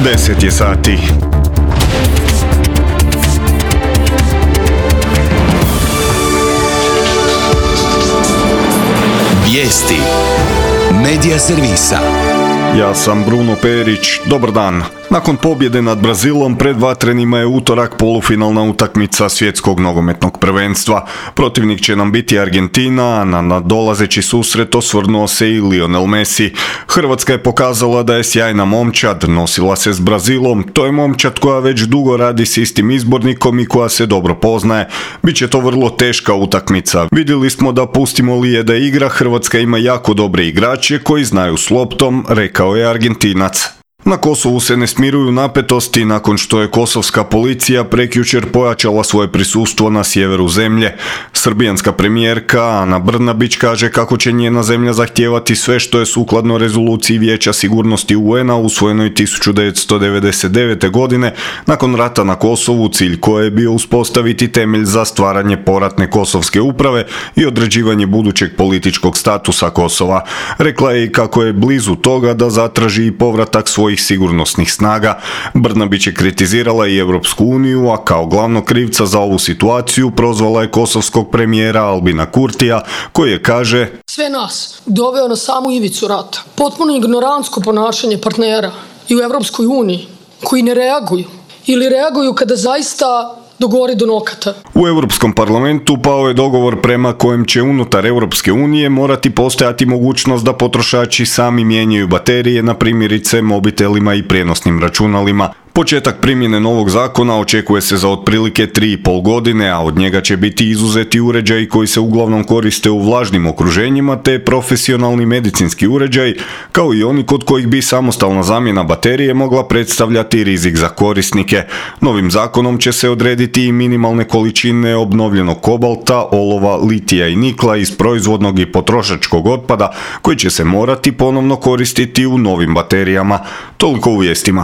10 je sati. Vijesti Medija servisa. Ja sam Bruno Perić, dobar dan. Nakon pobjede nad Brazilom pred vatrenima je utorak polufinalna utakmica svjetskog nogometnog prvenstva. Protivnik će nam biti Argentina, a na nadolazeći susret osvrnuo se i Lionel Messi. Hrvatska je pokazala da je sjajna momčad, nosila se s Brazilom, to je momčad koja već dugo radi s istim izbornikom i koja se dobro poznaje. Biće to vrlo teška utakmica. Vidjeli smo da pustimo li je da igra, Hrvatska ima jako dobre igrače koji znaju s loptom, rekao je Argentinac. Na Kosovu se ne smiruju napetosti nakon što je kosovska policija prekjučer pojačala svoje prisustvo na sjeveru zemlje. Srbijanska premijerka Ana Brnabić kaže kako će njena zemlja zahtijevati sve što je sukladno rezoluciji Vijeća sigurnosti UN-a usvojenoj 1999. godine nakon rata na Kosovu, cilj koje je bio uspostaviti temelj za stvaranje poratne kosovske uprave i određivanje budućeg političkog statusa Kosova. Rekla je i kako je blizu toga da zatraži i povratak svojih sigurnosnih snaga. Brnabić je kritizirala i Europsku uniju, a kao glavnog krivca za ovu situaciju prozvala je kosovskog premijera Albina Kurtija, koji je, kaže, sve nas doveo na samu ivicu rata. Potpuno ignorantsko ponašanje partnera i u Europskoj uniji koji ne reaguju ili reaguju kada zaista dogori do nokata. U Europskom parlamentu pao je dogovor prema kojem će unutar Europske unije morati postojati mogućnost da potrošači sami mijenjaju baterije na primjerice mobitelima i prijenosnim računalima. Početak primjene novog zakona očekuje se za otprilike 3,5 godine, a od njega će biti izuzeti uređaji koji se uglavnom koriste u vlažnim okruženjima te profesionalni medicinski uređaj, kao i oni kod kojih bi samostalna zamjena baterije mogla predstavljati rizik za korisnike. Novim zakonom će se odrediti i minimalne količine obnovljenog kobalta, olova, litija i nikla iz proizvodnog i potrošačkog otpada koji će se morati ponovno koristiti u novim baterijama. Toliko u vijestima.